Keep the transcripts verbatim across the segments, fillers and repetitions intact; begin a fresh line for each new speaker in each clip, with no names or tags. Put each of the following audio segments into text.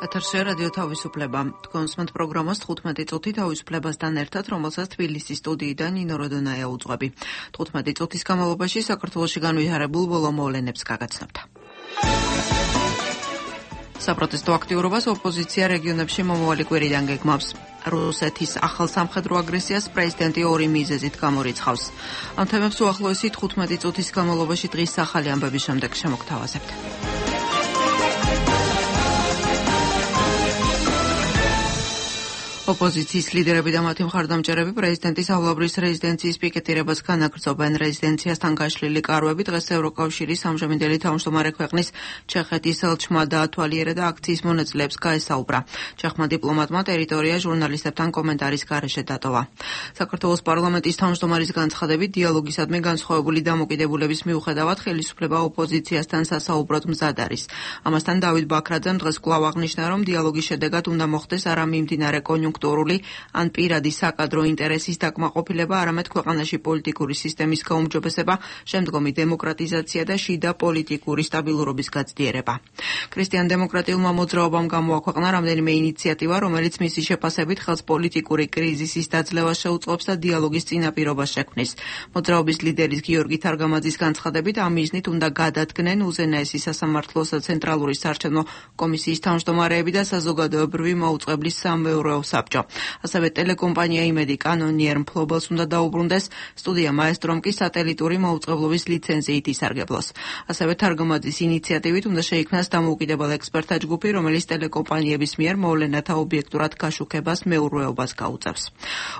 ეთერში რადიო თავისუფლება. კონსმენტ პროგრამას თხუთმეტი წუთი თავისუფლებასთან ერთად, რომელსაც თბილისის სტუდიიდან ნინო როდონაია უძღვები. თხუთმეტი წუთის განმავლობაში საქართველოში განვითარებულ ბოლო მოვლენებს გაგაცნობთ. საპროტესტო აქტიურობას ოპოზიცია რეგიონებში მომავალი კვირიდან გეგმავს. რუსეთის ახალ სამხედრო აგრესიას პრეზიდენტი ორი მიზეზით გამორიცხავს. ამ თემებს უახლოესი თხუთმეტი წუთის განმავლობაში დღის ახალი ამბების შემდეგ შემოგთავაზებთ. ოპოზიციის ლიდერები და მათი მხარდამჭერები პრეზიდენტის ავლაბრის რეზიდენციის პიკეტირებას განაგრძობენ. რეზიდენციასთან გაშლილი კარვები დღეს ევროკავშირის ამჟამინდელი თავმჯდომარე ქვეყნის ჩეხეთის ელჩმა დაათვალიერა და აქციის მონაწილეებს გაესაუბრა. ჩეხმა დიპლომატმა ტერიტორია ჟურნალისტებთან კომენტარის გარეშე დატოვა. საქართველოს პარლამენტის თავმჯდომარის განცხადებით, დიალოგისადმი განსხვავებული დამოკიდებულების მიუხედავად ხელისუფლება ოპოზიციასთან სასაუბროდ მზად არის. ამასთან დავით ბაქრაძემ დღეს კვლავ აღნიშნა, რომ დიალოგის შედეგად უნდა მოხდეს არა მიმდინარე კონიუნქტურული ან პირადი საკადრო ინტერესის დაკმაყოფილება, არამედ ქვეყანაში პოლიტიკური სისტემის გაუმჯობესება, შემდგომი დემოკრატიზაცია და შიდა პოლიტიკური სტაბილურობის გაცდიერება. ქრისტიან-დემოკრატიულმა მოძრაობამ გამოაქვეყნა რამდენიმე ინიციატივა, რომელიც მისი შეფასებით ხელს პოლიტიკური კრიზისის დაძლევას შეუწყობს და დიალოგის წინაპირობას შექმნის. მოძრაობის ლიდერის გიორგი თარგამაძის განცხადებით, ამ მიზნით უნდა გადადგნენ უზენაესი სასამართლოს და ცენტრალური საარჩევნო კომისიის თავმჯდომარეები და საზოგადოებრივი მაუწყებლის სამეურვეო საბჭო. ასევე ტელეკომპანია იმედი კანონიერ მფლობელს უნდა დაუბრუნდეს, სტუდია მაესტრომ კი სატელიტური მაუწყებლობის ლიცენზიით ისარგებლოს. ასევე თარგამაძის ინიციატივით უნდა შეიქმნას დამოუკიდებელ ექსპერტთა ჯგუფი, რომელიც ტელეკომპანიების მიერ მოვლენათა ობიექტურად გაშუქებას მეურვეობას გაუწევს.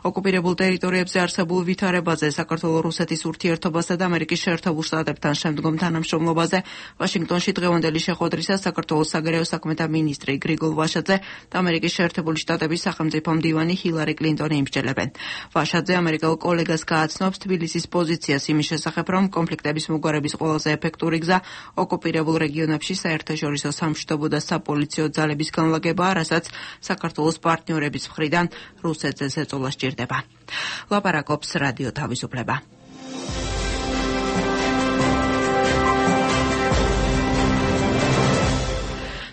ოკუპირებულ ტერიტორიებზე არსებულ ვითარებაზე, საქართველო-რუსეთის ურთიერთობასა და ამერიკის შეერთებულ შტატებთან შემდგომ თანამშრომლობაზე ვაშინგტონში დღევანდელი შეხვედრისას საქართველოს საგარეო საქმეთა მინისტრი გრიგოლ ვაშაძე და ამერიკის შეერთებული შტატების სახელმწიფო მდივანი ჰილარი კლინტონი იმსჯელებენ. ვაშაძე ამერიკელ კოლეგას გააცნობს თბილისის პოზიციას იმის შესახებ, რომ კონფლიქტების მოგვარების ყველაზე ეფექტური გზა ოკუპირებულ რეგიონებში საერთაშორისო სამშვიდობო და საპოლიციო ძალების განლაგებაა, რასაც საქართველოს პარტნიორების მხრიდან რუსეთზე ზეწოლა სჭირდება. ლაპარაკობს რადიო თავისუფლება.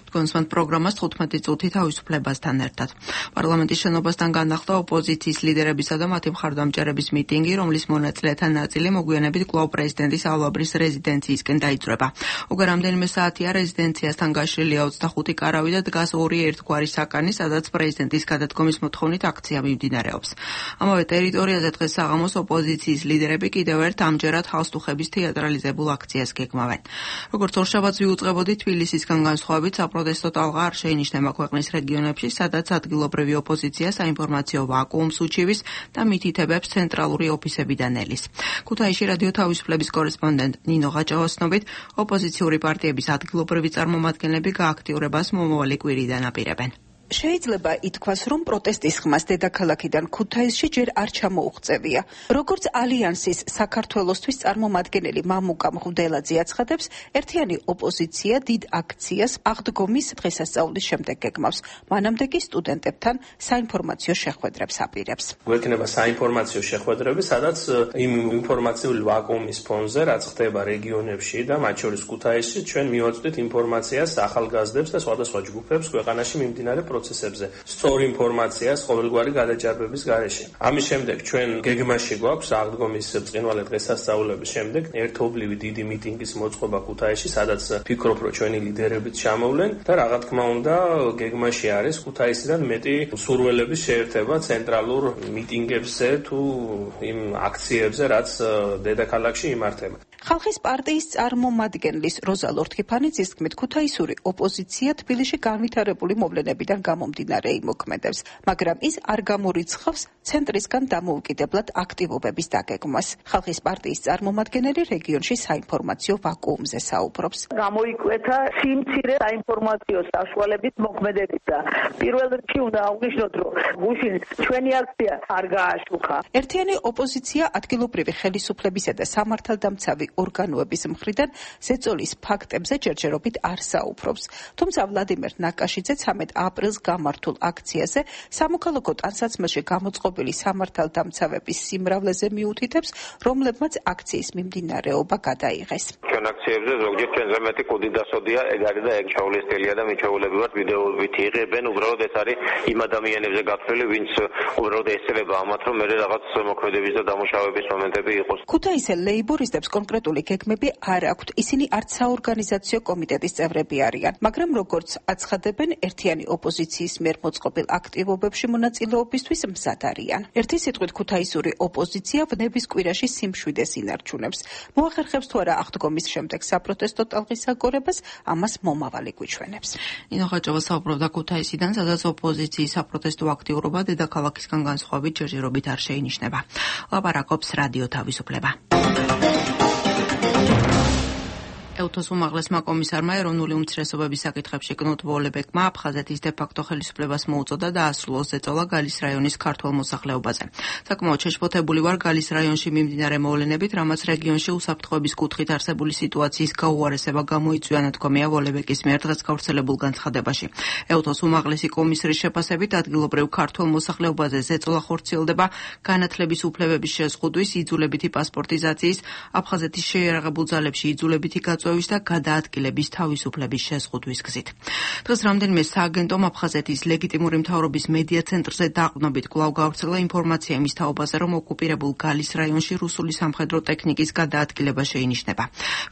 კონსმენტ პროგრამას თხუთმეტი წუთი თავისუფლებასთან ერთად. პარლამენტის შენობასთან განახლდა ოპოზიციის ლიდერებისა და მათი მხარდამჭერების მიტინგი, რომლის მონაწილეთა ნაწილი მოგვიანებით კვლავ პრეზიდენტის ავლაბრის რეზიდენციისკენ დაიწვრება. უკვე რამდენიმე საათია რეზიდენციასთან გაშლილია ოცდახუთი კარავი და დგას ორი ერთგვარი საკანი, სადაც პრეზიდენტის გადადგომის მოთხოვნით აქცია მიმდინარეობს. ამავე ტერიტორიაზე დღეს საღამოს ოპოზიციის ლიდერები კიდევ ერთ ამჯერად ხალხსტუხების თეატრალიზებულ აქციას გეგმავენ. როგორც ორშაბათს ვიუწყებოდი, თბილისისგან განსხვავებით საპროტესტო ტალღა არ შეინიშნება ქვეყნის რეგიონებში, სადაც ადგილობრივი ოპოზიცია საინფორმაციო ვაკუუმს უჩივის და მითითებებს ცენტრალური ოფისებიდან ელის. ქუთაისში რადიო თავისუფლების კორესპონდენტ ნინო ღაჭავას ცნობით, ოპოზიციური პარტიების ადგილობრივი წარმომადგენლები გააქტიურებას მომავალი კვირიდან აპირებენ.
შეიძლება ითქვას, რომ პროტესტის ხმას დედაქალაქიდან ქუთაისში ჯერ არ ჩამოუღწევია. როგორც ალიანსის საქართველოსთვის წარმომადგენელი მამუკა მღვდელაძე აცხადებს, ერთიანი ოპოზიცია დიდ აქციას აღდგომის დღესასწაულის შემდეგ გეგმავს. მანამდე კი სტუდენტებთან საინფორმაციო შეხვედრებს აპირებს.
გვექნება საინფორმაციო შეხვედრები, სადაც იმ ინფორმაციული ვაკუუმის ფონზე, რაც ხდება რეგიონებში და მათ შორის ქუთაისში, ჩვენ მივაწვდით ინფორმაციას ახალგაზრდებს და სხვადასხვა ჯგუფებს ქვეყანაში მიმდინარე პროცესებზე, სწორ ინფორმაციას ყოველგვარი გადაჭარბების გარეშე. ამის შემდეგ ჩვენ გეგმაში გვაქვს აღდგომის ბრწყინვალე დღესასწაულების შემდეგ ერთობლივი დიდი მიტინგის მოწყობა ქუთაისში, სადაც ფიქრობ, რომ ჩვენი ლიდერებიც ჩამოვლენ და რა თქმა უნდა გეგმაში არის ქუთაისიდან მეტი სურველების შეერთება ცენტრალურ მიტინგებზე თუ იმ აქციებზე, რაც დედაქალაქში იმართება.
ხალხის პარტიის წარმომადგენლის როზა ლორთქიფანიძის თქმით, ქუთაისური ოპოზიცია თბილისში განვითარებული მოვლენებიდან გამომდინარე იმოქმედებს, მაგრამ ის არ გამორიცხავს ცენტრისგან დამოუკიდებლად აქტივობების დაგეგმვას. ხალხის პარტიის წარმომადგენელი რეგიონში საინფორმაციო ვაკუუმზე საუბრობს.
გამოიკვეთა სიმცირე საინფორმაციო საშუალების მოქმედებისა. პირველ რიგში უნდა აღნიშნოთ, რომ გუშინ ჩვენი აქცია არ გააშუქა.
ერთიანი ოპოზიცია ადგილობრივი ხელისუფლებისა და სამართალდამცავი ორგანოების მხრიდან ზეწოლის ფაქტებზე ჯერჯერობით არ საუბრობს. თუმცა ვლადიმერ ნაკაშიძე ცამეტ აპრილს გამართულ აქციაზე სამოქალაქო ტანსაცმელში გამოწყობილი სამართალდამცავების სიმრავლეზე მიუთითებს, რომლებმაც აქციის მიმდინარეობა გადაიღეს.
ჩვენ აქციებზე ზოგჯერ ჩვენზე მეტი კუდი დასოდია, ეგ არის და ეგ ჩავლესტელია და მიჩაულები ვართ ვიდეოებით იღებენ, უბრალოდ ეს არის იმ ადამიანებზე გაფრთხილი, ვინც უბრალოდ ესწრება ამათ, რომ მე რაღაც მოქმედების და დამუშავების მომენტები იყოს.
ქუთაისელ ლეიბორისტებს კონკრეტული გეგმები არ აქვთ, ისინი არც საორგანიზაციო კომიტეტის წევრები არიან, მაგრამ როგორც აცხადებენ, ერთიანი ოპოზიციის მიერ მოწყობილ აქტივობებში მონაწილეობისთვის მზად არიან. ერთი სიტყვით ქუთაისური ოპოზიცია ვნების კვირაში სიმშვიდეს ინარჩუნებს. მოახერხებს თუ არა აღდგომის შემდეგ საპროტესტო ტალღის აგორებას, ამას მომავალი გვიჩვენებს.
ნინო ხაჭავა საუბრობდა ქუთაისიდან, სადაც ოპოზიციის საპროტესტო აქტიურობა დედაქალაქისგან განსხვავებით ჯერჯერობით არ შეინიშნება. ლაპარაკობს რადიო თავისუფლება. ევთოს უმაღლესმა კომისარმა ეროვნული უმცირესობების საკითხებში კნუტ ვოლებეკმა აფხაზეთის დე-ფაქტო ხელისუფლებას მოუწოდა დაასრულოს ზეწოლა გალის რაიონის ქართველ მოსახლეობაზე. საკმაოდ შეშფოთებული ვარ გალის რაიონში მიმდინარე მოვლენებით, რამაც რეგიონში უსაფრთხოების კუთხით არსებული სიტუაციის გაუარესება გამოიწვია, ნათქვამია ვოლებეკის მიერ დღეს გავრცელებულ განცხადებაში. ევთოს უმაღლესი კომისრის შეფასებით ადგილობრივ ქართველ მოსახლეობაზე ზეწოლა ხორციელდება განათლების უფლებების შეზღუდვის, იძულებითი პასპორტიზაციის, აფხაზეთის შეიარაღებულ ძალებში იძულებითი გაწ და გადაადგილების თავისუფლების შეზღუდვის გზით. დღეს რამდენიმე სააგენტომ აფხაზეთის ლეგიტიმური მთავრობის მედია ცენტრზე დაყრდნობით კვლავ გავრცელა ინფორმაცია იმის თაობაზე, რომ ოკუპირებულ გალის რაიონში რუსული სამხედრო ტექნიკის გადაადგილება შეინიშნება.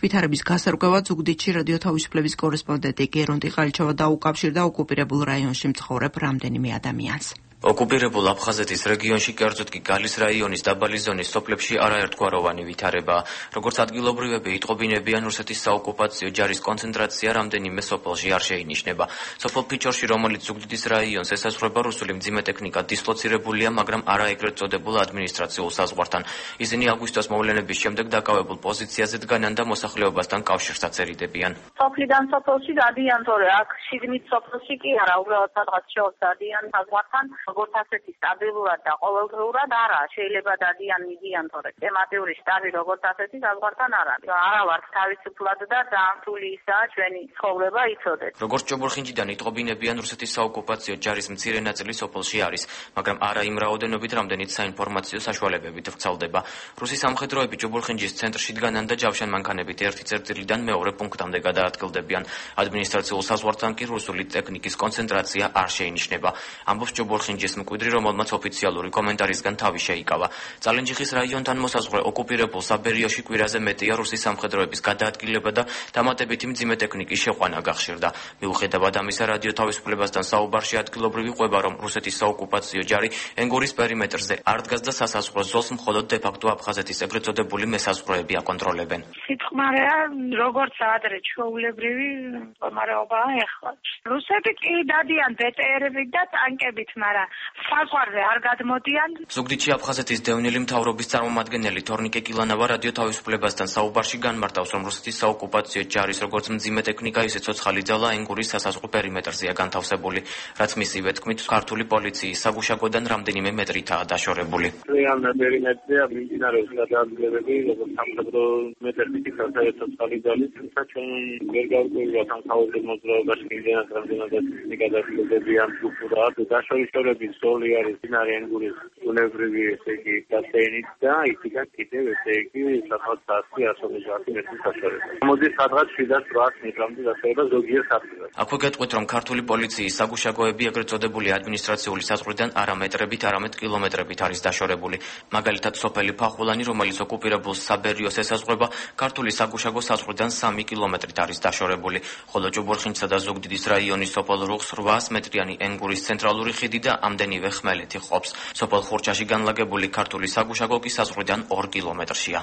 ვითარების გასარკვევად ზუგდიდში რადიო თავისუფლების კორესპონდენტი გერონტი ყალიჩოვა დაუკავშირდა ოკუპირებულ რაიონში მცხოვრებ რამდენიმე ადამიანს.
ოკუპირებულ აფხაზეთის რეგიონში, კერძოდ კი გალის რაიონის დაბალი ზონის სოფლებში არაერთგვაროვანი ვითარებაა. როგორც ადგილობრივები იტყობინებიან, რუსეთის საოკუპაციო ჯარის კონცენტრაცია რამდენიმე სოფელში არ შეინიშნება. სოფელ ფიჩორში, რომელიც ზუგდიდის რაიონს ესაზღვრება, რუსული მძიმე ტექნიკა დისლოცირებულია, მაგრამ არა ეგრეთ წოდებულ ადმინისტრაციულ საზღვართან. ისინი აგვისტოს მოვლენების შემდეგ დაკავებულ პოზიციაზე დგანან და მოსახლეობასთან კავშირსაც ერიდებიან.
სოფლიდან სოფელში დადიან, თორე აქ შიგნით სოფელში კი არა, უბრალოდ სადღაც შორს დადიან საზღვართან. როგორც ასეთი სტაბილურად და ყოველდღიურად არა, შეიძლება დადიან მიდიან, თორე თემატიური შტაბი როგორც ასეთი საზღვართან არ არის. არა ვართ თავისუფლად და დაამთული ისაა ჩვენი ცხოვრება იცოდეთ.
როგორც ჭობურხინჯიდან იტყობინებიან, რუსეთის საოკუპაციო ჯარის მცირე ნაწილი სოფელში არის, მაგრამ არა იმ რაოდენობით, რამდენიც საინფორმაციო საშუალებებით ვრცელდება. რუსი სამხედროები ჭობურხინჯის ცენტრში დგანან და ჯავშან-მანქანებით ერთი წერტილიდან მეორე პუნქტამდე გადაადგილდებიან. ადმინისტრაციულ საზღვართან კი რუსული ტექნიკის კონცენტრაცია არ შეინიშნება. ამბობს ჭობურხინჯის მკვიდრი, რომელმაც ოფიციალური კომენტარისგან თავი შეიკავა. წალენჯიხის რაიონთან მოსაზღვრე ოკუპირებულ საბერიოში კვირაზე მეტია რუსის სამხედროების გადაადგილება და დამატებითი მძიმე ტექნიკის შეყვანა გახშირდა. მიუხედავად ამისა, რადიო თავისუფლებასთან საუბარში ადგილობრივი ყვება, რომ რუსეთის საოკუპაციო ჯარი ენგურის პერიმეტრზე არ დგას და სასაზღვრო ზოლს მხოლოდ დე-ფაქტო აფხაზეთის ეგრეთ წოდებული მესაზღვროები აკონტროლებენ.
სიტყვარეა, როგორც ადრე ჩვეულებრივი მდგომარეობაა ეხლა. რუსები კი დადიან ბე ტე ერებით და ტანკებით, მაგრამ საზღვარზე არ გადმოდიან.
ზუგდიდში აფხაზეთის დევნილი მთავრობის წარმომადგენელი თორნიკე კილანავა რადიო თავისუფლებასთან საუბარში განმარტავს, რომ რუსეთის საოკუპაციო ჯარის როგორც მძიმე ტექნიკა, ისე ცოცხალი ძალა ენგურის სასაზღვრო პერიმეტრზეა განთავსებული, რაც მისივე თქმით, ქართული პოლიციის საგუშაგოდან რამდენიმე მეტრითაა დაშორებული.
ძალიან პერიმეტრზეა მიმდინარეობს გადაადგილებები, როგორც სამხედრო მეტერბიტი ცოცხალი ძალის, თუმცა ჩვენ ვერ გავკვირვებთ ამ თავზე მოძრაობაში იმდენად რამდენადაც ისინი გადაადგილებებიან სტრუქტურაა და დაშორიშორების ზოლი არის მდინარე ენგურის ბუნებრივი ესე იგი ბასეინით და იქიდან კიდევ ესე იგი სადღაც ასი ასობით მეტრის დაშორება. მოდის სადღაც შვიდას რვას მეტრამდე დაშორება ზოგიერთ ადგილას.
აქვე გეტყვით, რომ ქართული პოლიციის საგუშაგოები ეგრეთ წოდებული ადმინისტრაციული საზღვრიდან არა მეტრებით, არამედ კილომეტრებით არის დაშორებული. მაგალითად, სოფელი ფახულანი, რომელიც ოკუპირებულ საბერიოს ესაზღვრება, ქართული საგუშაგო საზღვრიდან სამი კილომეტრით არის დაშორებული, ხოლო ჭუბურხინჯსა და ზუგდიდის რაიონის სოფელ რუხს რვას მეტრიანი ენგურის ცენტრალური ხიდი და ამდენივე ხმელეთი ყოფს. სოფელ ხურჩაში განლაგებული ქართული საგუშაგო კი საზღვრიდან ორ კილომეტრშია.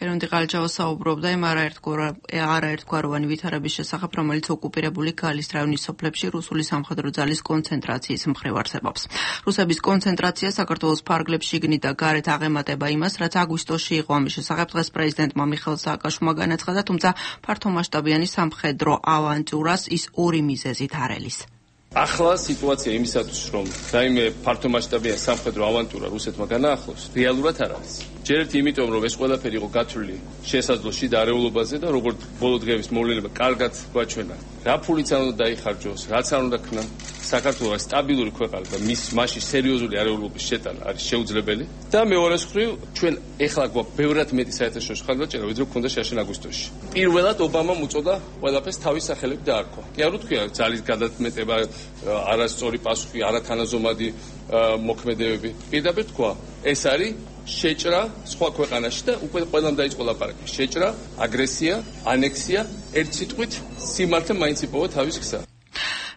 გერონტი ყალიჩოვა საუბრობდა იმ არაერთგვაროვანი ვითარების შესახებ, რომელიც ოკუპირებული გალის რაიონის სოფლებში რუსული სამხედრო ძალის კონცენტრაციის მხრივ არსებობს. რუსების კონცენტრაცია საქართველოს ფარგლებში შიგნით და გარეთ აღემატება იმას, რაც აგვისტოში იყო. ამის შესახებ დღეს პრეზიდენტმა მიხეილ სააკაშვილმა განაცხადა, თუმცა ფართომასშტაბიანი სამხედრო ავანტიურას ის ორი მიზეზით არ ელის.
ახლა სიტუაცია იმისათვის, რომ რაიმე ფართომასშტაბიანი სამხედრო ავანტურა რუსეთმა განაახლოს, რეალურად არ არის. ჯერ ერთი იმიტომ, რომ ეს ყველაფერი იყო გათვლილი შესაძლო შიდა არეულობაზე და როგორც ბოლო დღეების მოვლენება კარგად გვაჩვენა, რა ფულიც არ უნდა დაიხარჯოს, რაც არ უნდა ქნა, საქართველოს სტაბილური ქვეყანა და მის მასში სერიოზული არეულობის შეტანა არის შეუძლებელი და მეორეს მხრივ ჩვენ ეხლა გვაქვს ბევრად მეტი საერთაშორისო ხარჯვაჭერა ვიდრე გვქონდა შაშენ აგვისტოში. პირველად ობამამ უწოდა ყველაფერს თავის სახელით დაარქვა. კი არ ვთქვია ძალის გადაწმეტება, არასწორი პასუხი, არათანაზომადი მოქმედებები. პირდაპირ თქვა, ეს არის შეჭრა სხვა ქვეყანაში და უკვე ყველამ დაიწყო ლაპარაკი. შეჭრა, აგრესია, ანექსია, ერთ სიტყვით სიმართლე მაინც იპოვა თავის გზა.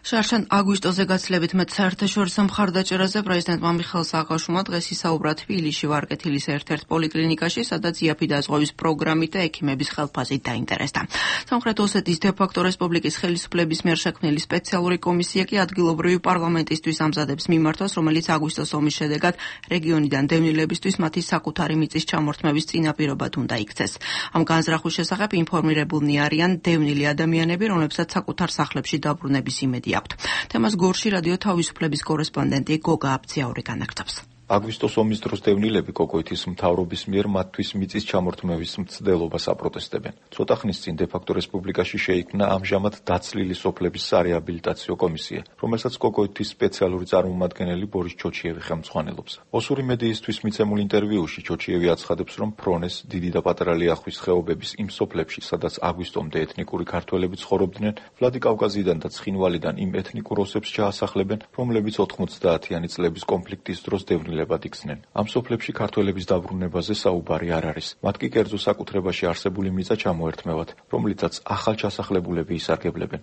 შარშან აგვისტოზე გაცილებით მეტ საერთაშორისო მხარდაჭერაზე პრეზიდენტმა მიხეილ სააკაშვილმა დღეს ისაუბრა თბილისში ვარკეთილის ერთ-ერთ პოლიკლინიკაში, სადაც იაფი დაზღვევის პროგრამით და ექიმების ხელფასით დაინტერესდა. სამხრეთ ოსეთის დე-ფაქტო რესპუბლიკის ხელისუფლების მიერ შექმნილი სპეციალური კომისია კი ადგილობრივი პარლამენტისთვის ამზადებს მიმართვას, რომელიც აგვისტოს ომის შედეგად რეგიონიდან დევნილებისთვის მათი საკუთარი მიწის ჩამორთმევის წინაპირობად უნდა იქცეს. ამ განზრახვის შესახებ ინფორმირებულნი არიან დევნილი ადამიანები, რომლებსაც საკუთარ სახლებში დაბრუნების იმედი აქვთ. თემას გორში რადიო თავისუფლების კორესპონდენტი გოგა აბციაური განაგრძობს.
აგვისტოს ომის დროს დევნილები კოკოითის მთავრობის მიერ მათთვის მიწის ჩამორთმევის მცდელობას აპროტესტებენ. ცოტა ხნის წინ დე-ფაქტო რესპუბლიკაში შეიქმნა ამჟამად დაცლილი სოფლების სარეაბილიტაციო კომისია, რომელსაც კოკოითის სპეციალური წარმომადგენელი ბორის ჩოჩიევი ხელმძღვანელობს. ოსური მედიისთვის მიცემულ ინტერვიუში ჩოჩიევი აცხადებს, რომ ფრონეს, დიდი და პატარა ლიახვის ხეობების იმ სოფლებში, სადაც აგვისტომდე ეთნიკური ქართველები ცხოვრობდნენ, ვლადიკავკაზიდან და ცხინვალიდან იმ ეთნიკურ ოსებს ჩაასახლებენ, რომლებიც ოთხმოცდაათიანი წლების კონფლიქტის დროს დევნილ იხსნენ. ამ სოფლებში ქართველების დაბრუნებაზე საუბარი არ არის. მათ კი კერძო საკუთრებაში არსებული მიწა ჩამოერთმევათ, რომლითაც ახალ ჩასახლებულები ისარგებლებენ.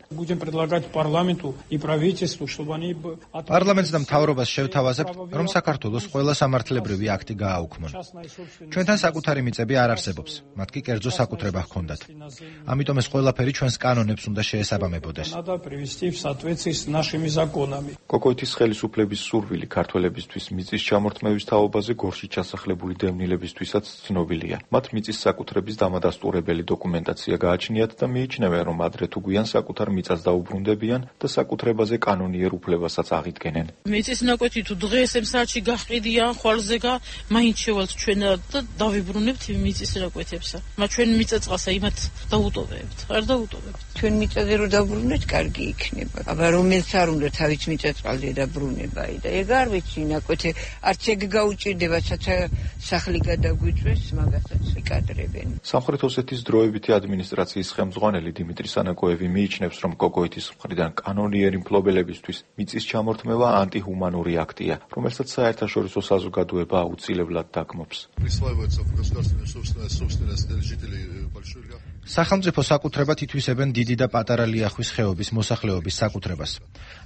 პარლამენტს და მთავრობას შევთავაზებთ, რომ საქართველოს ყველა სამართლებრივი აქტი გააუქმონ. ჩვენთან საკუთარი მიწები არ არსებობს, მათ კი კერძო საკუთრება ჰქონდათ. ამიტომ ეს ყველაფერი ჩვენს კანონებს უნდა შეესაბამებოდეს.
კოკოითის ხელისუფლების სურვილი ქართველებისთვის მიწის ჩამორთმევის თაობაზე გორში ჩასახლებული დევნილებისთვისაც ცნობილია. მათ მიწის საკუთრების დამადასტურებელი დოკუმენტაცია გააჩნიათ და მიიჩნევენ, რომ ადრე თუ გვიან საკუთარ მიწას დაუბრუნდებიან და საკუთრებაზე კანონიერ უფლებასაც აღიდგენენ.
მიწის ნაკვეთი თუ დღეს ამ საათში გაყიდიან ხვალზე გა, მაინც შევალთ ჩვენ და დავიბრუნებთ მიწის ნაკვეთებსა. მათ ჩვენ მიწაწყალსა იმათ დაუტოვებთ. არ დაუტოვებთ.
ჩვენ მიწაზე რო დაბრუნეთ, კარგი იქნება. აბა რომელიც არ უნდა თავის მიწაწყალზე დაბრუნება და ეგ არ ვიცი ნაკვეთი არც ეგ გაუჭირდება, საცა სახლი გადაგვიწვეს, მაგასაც იკადრებენ.
სამხრეთ ოსეთის დროებითი ადმინისტრაციის ხელმძღვანელი დიმიტრი სანაკოევი მიიჩნევს, რომ კოკოითის მხრიდან კანონიერი მფლობელებისთვის მიწის ჩამორთმევა ანტიჰუმანური აქტია, რომელსაც საერთაშორისო საზოგადოება აუცილებლად დაგმობს.
სახელმწიფო საკუთრებად ითვისებენ დიდი და პატარა ლიახვის ხეობის მოსახლეობის საკუთრებას.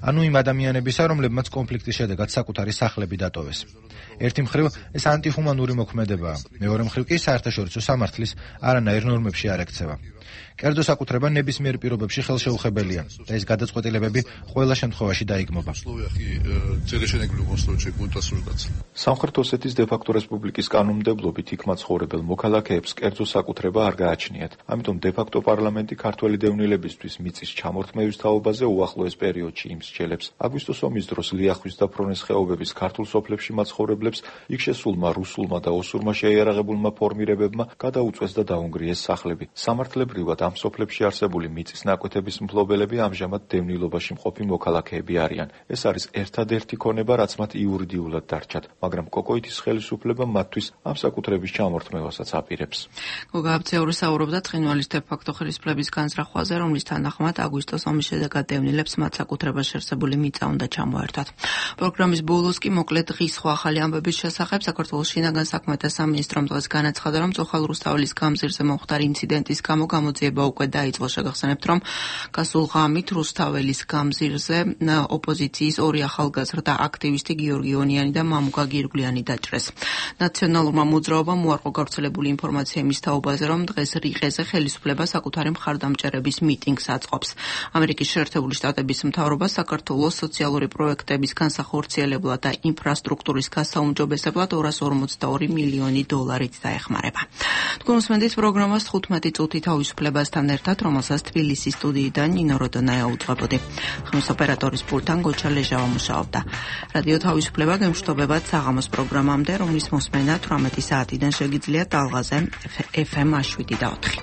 ანუ იმ ადამიანებისა, რომლებმაც კონფლიქტის შედეგად საკუთარი სახლები დატოვეს. ერთი მხრივ ეს ანტიჰუმანური მოქმედებაა, მეორე მხრივ კი საერთაშორისო სამართლის არანაირ ნორმებში არ ექცევა. კერძო საკუთრება ნებისმიერ პირობებში ხელშეუხებელია და ეს გადაწყვეტილებები ყველა შემთხვევაში დაიგმობა.
სამხრეთ ოსეთის დე-ფაქტო რესპუბლიკის კანონმდებლობით იქ მაცხოვრებელ მოქალაქეებს კერძო საკუთრება არ გააჩნიათ. ამიტომ დე-ფაქტო პარლამენტი ქართველი დევნილებისთვის მიწის ჩამორთმევის თაობაზე უახლოეს პერიოდში იმსჯელებს. აგვისტოს ომის დროს ლიახვის და ფრონეს ხეობების ქართულ სოფლებში მაცხოვრებლებს იქ შესულმა რუსულმა და ოსურმა შეიარაღებულმა ფორმირებებმა გადაუწვეს და დაუნგრიეს სახლები. სამართლებრივად ამ სოფლებში არსებული მიწის ნაკვეთების მფლობელები ამჟამად დევნილობაში მყოფი მოქალაქეები არიან. ეს არის ერთადერთი ქონება, რაც მათ იურიდიულად დარჩათ, მაგრამ კოკოითის ხელისუფლება მათთვის ამ საკუთრების ჩამორთმევასაც აპირებს.
გოგა აბციაური საუბრობდა ცხინვალის დე-ფაქტო ხელისუფლების განზრახვაზე, რომლის თანახმად აგვისტოს ომის შედეგად დევნილებს მათ საკუთრებაში არსებული მიწა უნდა ჩამოერთვათ. პროგრამის ბოლოს კი მოკლედ დღის სხვა ახალი ამბების შესახებ საქართველოს შინაგან საქმეთა სამინისტრომ დღეს განაცხადა, რომ წოხალ რუსთაველის გამზირზე მომხდარი ინციდენტის გამო გამოძიება უკვე დაიწყო. შეგახსენებთ, რომ გასულ ღამით რუსთაველის გამზირზე ოპოზიციის ორი ახალგაზრდა აქტივისტი გიორგი ონიანი და მამუკა გირგვლიანი დაჭრეს. ნაციონალურმა მოძრაობამ უარყო გავრცელებული ინფორმაცია იმის თაობაზე, რომ დღეს რიყეზე ხელისუფლება საკუთარი მხარდამჭერების მიტინგს აწყობს. ამერიკის შეერთებული შტატების მთავრობა საქართველოს სოციალური პროექტების განსახორციელებლად და ინფრასტრუქტურის გასაუმჯობესებლად ორას ორმოცდაორი მილიონი დოლარით დაეხმარება. თქვენ უსმენთ პროგრამას თხუთმეტი წუთი თავისუფლებასთან ერთად, რომელსაც თბილისის სტუდიიდან ნინო როდონაია უძღვებოდი. ხმის ოპერატორის პულტთან გოჩა ლეჟავა მუშაობდა. რადიო თავისუფლება გემშვიდობებად საღამოს პროგრამამდე, რომლის მოსმენა თვრამეტი საათიდან შეგიძლიათ ტალღაზე ეფ ემ შვიდი და ოთხი.